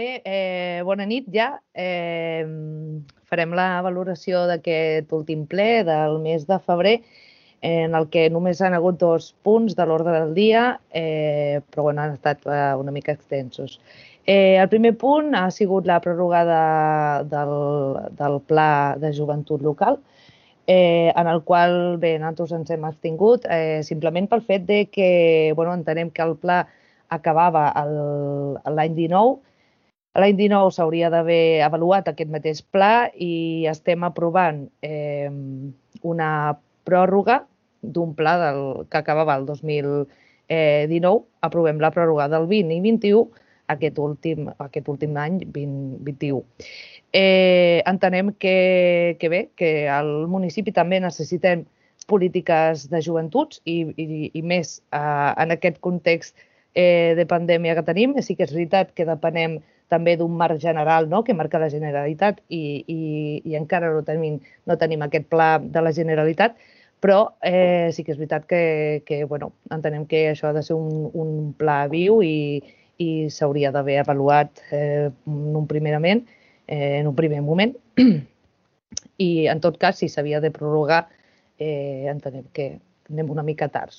Bona nit ja. Farem la valoració d'aquest últim ple del mes de febrer, en el que només han hagut 2 punts de l'ordre del dia, però han estat una mica extensos. El primer punt ha sigut la prorrogada del Pla de Joventut Local, en el qual nosaltres ens hem abstingut simplement pel fet que entenem que el pla acabava l'any 19. L'any 19 s'hauria d'haver avaluat aquest mateix pla i estem aprovant una pròrroga d'un pla que acabava el 2019. Aprovem la pròrroga del 20 i 21 aquest últim any, 2021. Entenem que al municipi també necessitem polítiques de joventuts i més en aquest context de pandèmia que tenim. Sí que és veritat que depenem també d'un marc general que marca la Generalitat i encara no tenim aquest pla de la Generalitat, però sí que és veritat que entenem que això ha de ser un pla viu i s'hauria d'haver avaluat en un primer moment. I en tot cas, si s'havia de prorrogar, entenem que anem una mica tard,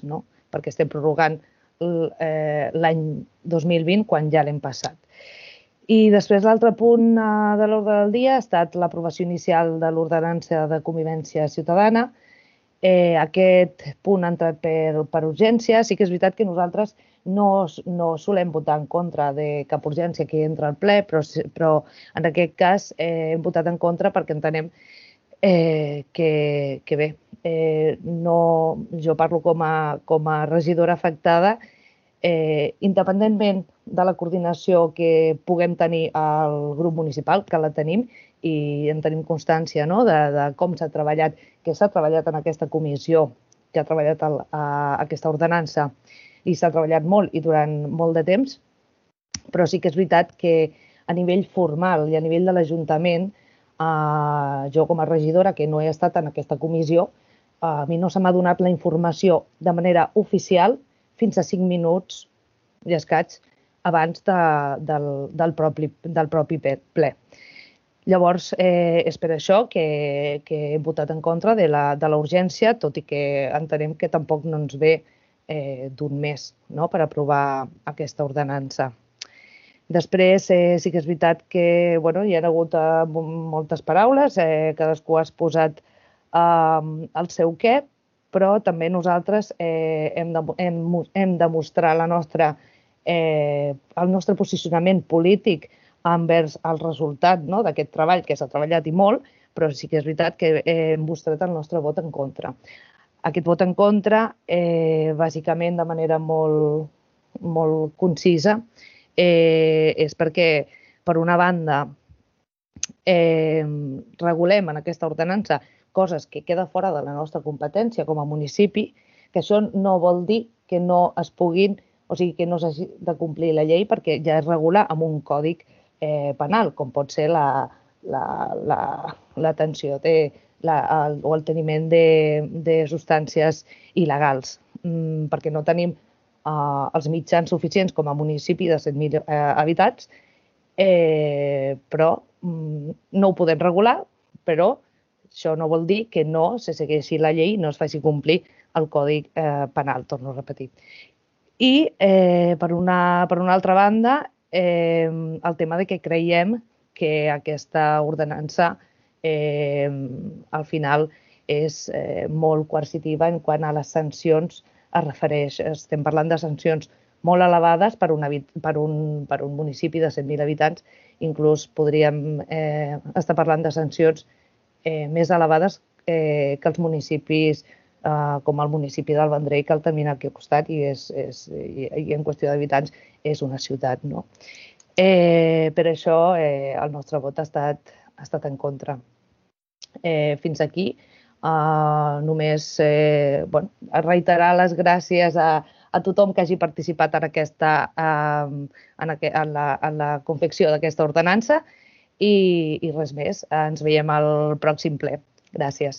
perquè estem prorrogant l'any 2020 quan ja l'hem passat. I després l'altre punt de l'ordre del dia ha estat l'aprovació inicial de l'ordenança de convivència ciutadana. Aquest punt ha entrat per urgència. Sí que és veritat que nosaltres no solem votar en contra de cap urgència que entra al ple, però en aquest cas hem votat en contra perquè entenem que bé, jo parlo com a regidora afectada, independentment de la coordinació que puguem tenir al grup municipal, que la tenim i en tenim constància de com s'ha treballat, que s'ha treballat en aquesta comissió, que ha treballat aquesta ordenança i s'ha treballat molt i durant molt de temps, però sí que és veritat que a nivell formal i a nivell de l'Ajuntament, jo com a regidora, que no he estat en aquesta comissió, a mi no se m'ha donat la informació de manera oficial fins a 5 minuts i escaig abans del propi ple. Llavors, és per això que hem votat en contra de la urgència, tot i que entenem que tampoc no ens ve d'un mes per aprovar aquesta ordenança. Després, sí que és veritat que hi ha hagut moltes paraules, cadascú ha exposat el seu què, però també nosaltres hem de mostrar el nostre posicionament polític envers el resultat d'aquest treball, que s'ha treballat i molt, però sí que és veritat que hem mostrat el nostre vot en contra. Aquest vot en contra, bàsicament de manera molt concisa, és perquè, per una banda, regulem en aquesta ordenança coses que queden fora de la nostra competència com a municipi, que això no vol dir que no es puguin, o sigui, que no s'hagi de complir la llei perquè ja es regula amb un còdic penal, com pot ser l'atenció o el teniment de substàncies il·legals, perquè no tenim els mitjans suficients com a municipi de 7.000 habitants, però no ho podem regular, però això no vol dir que no se segueixi la llei i no es faci complir el Codi Penal, torno a repetir. I, per una altra banda, el tema de que creiem que aquesta ordenança al final és molt coercitiva en quant a les sancions es refereix. Estem parlant de sancions molt elevades per un municipi de 100.000 habitants. Inclús podríem estar parlant de sancions més elevades que els municipis com el municipi del Vendrell, que el tenim aquí al costat i en qüestió d'habitants és una ciutat. Per això el nostre vot ha estat en contra. Fins aquí. Només reiterar les gràcies a tothom que hagi participat en la confecció d'aquesta ordenança i res més. Ens veiem al pròxim ple. Gràcies.